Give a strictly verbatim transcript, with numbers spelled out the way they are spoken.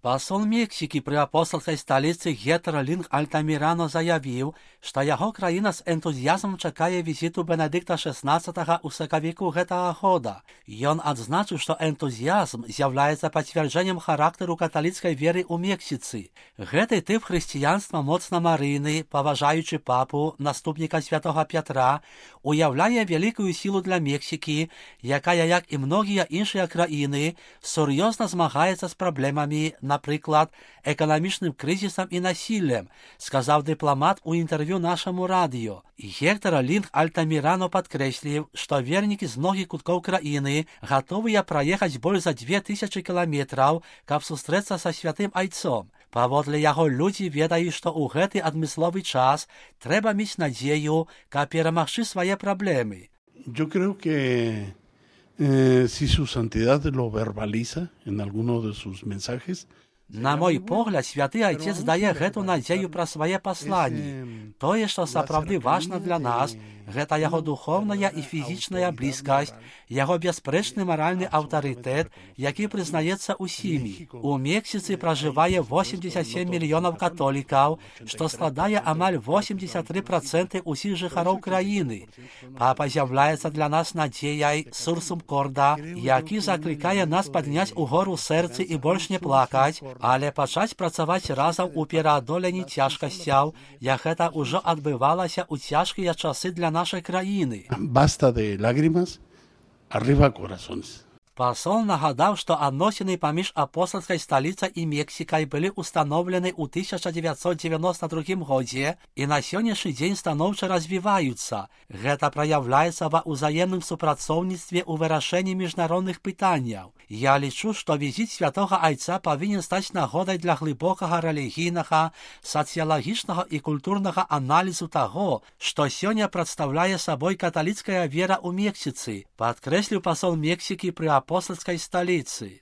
Пасол Мексікі пры апостальскай сталіцы Гетер Лінг Альтамірано заявіў, што яго краіна з энтузіязмам чакае візіту Бенедыкта шэснаццатага ў сакавіку гэтага года. Ён адзначыў, што энтузіязм з'яўляецца пацвярджэннем характару каталіцкай веры ў Мексіцы. Гэты тып хрысціянства моцна марыйны, паважаючы папу, наступніка святога Пятра, уяўляе вялікую сілу для Мексікі, якая, як і многія іншыя краіны, сур'ёзна змагаецца з праблемамі, напрыклад, эканамічным крызісам і насіллем, сказаў дыпламат у інтэрв'ю нашаму радыё. Гектор Лінг Альтамірано падкрэсліў, што вернікі з многіх куткоў краіны гатовыя праехаць больш за дзве тысячы кіламетраў, каб сустрэцца са святым айцом. Паводле яго людзі ведаюць, што ў гэты адмысловы час трэба мець надзею, каб перамагчы свае праблемы. Yo creo que eh, si su santidad lo verbaliza en alguno de sus mensajes. На мой погляд, святы айцец дае гэту надзею пра свае пасланні. Тое, што сапраўды важна для нас, гэта яго духовная і фізічная блізкасць, яго бясспрэчны маральны аўтарытэт, які прызнаецца ўсімі. У Мексіцы пражывае восемьдесят семь мільёнаў католікаў, што складае амаль восемьдесят три проценты ўсіх жыхароў краіны. Папа з'яўляецца для нас надзеяй, сурсум корда, які заклікае нас падняць угору сэрцы і больш не плакаць, але пачаць працаваць разам у пераадоленні цяжкасцяў, як гэта ўжо адбывалася ў цяжкія часы для нашай краіны. Basta de lágrimas, arriba corazones. Пасол нагадаў, што адносіны паміж апостальскай сталіцай і Мексікай былі ўстаноўлены ў тысяча дзевяцьсот дзевяноста другім годзе і на сённяшні дзень станоўча развіваюцца. Гэта праяўляецца ва ўзаемным супрацоўніцтве ў вырашэнні міжнародных пытанняў. Я лічу, што візіт святога айца павінен стаць нагодай для глыбокага рэлігійнага, сацыялагічнага і культурнага аналізу таго, што сёння прадстаўляе сабой каталіцкая вера ў Мексіцы, падкрэсліў пасол Мексікі пры апостальскай сталіцы.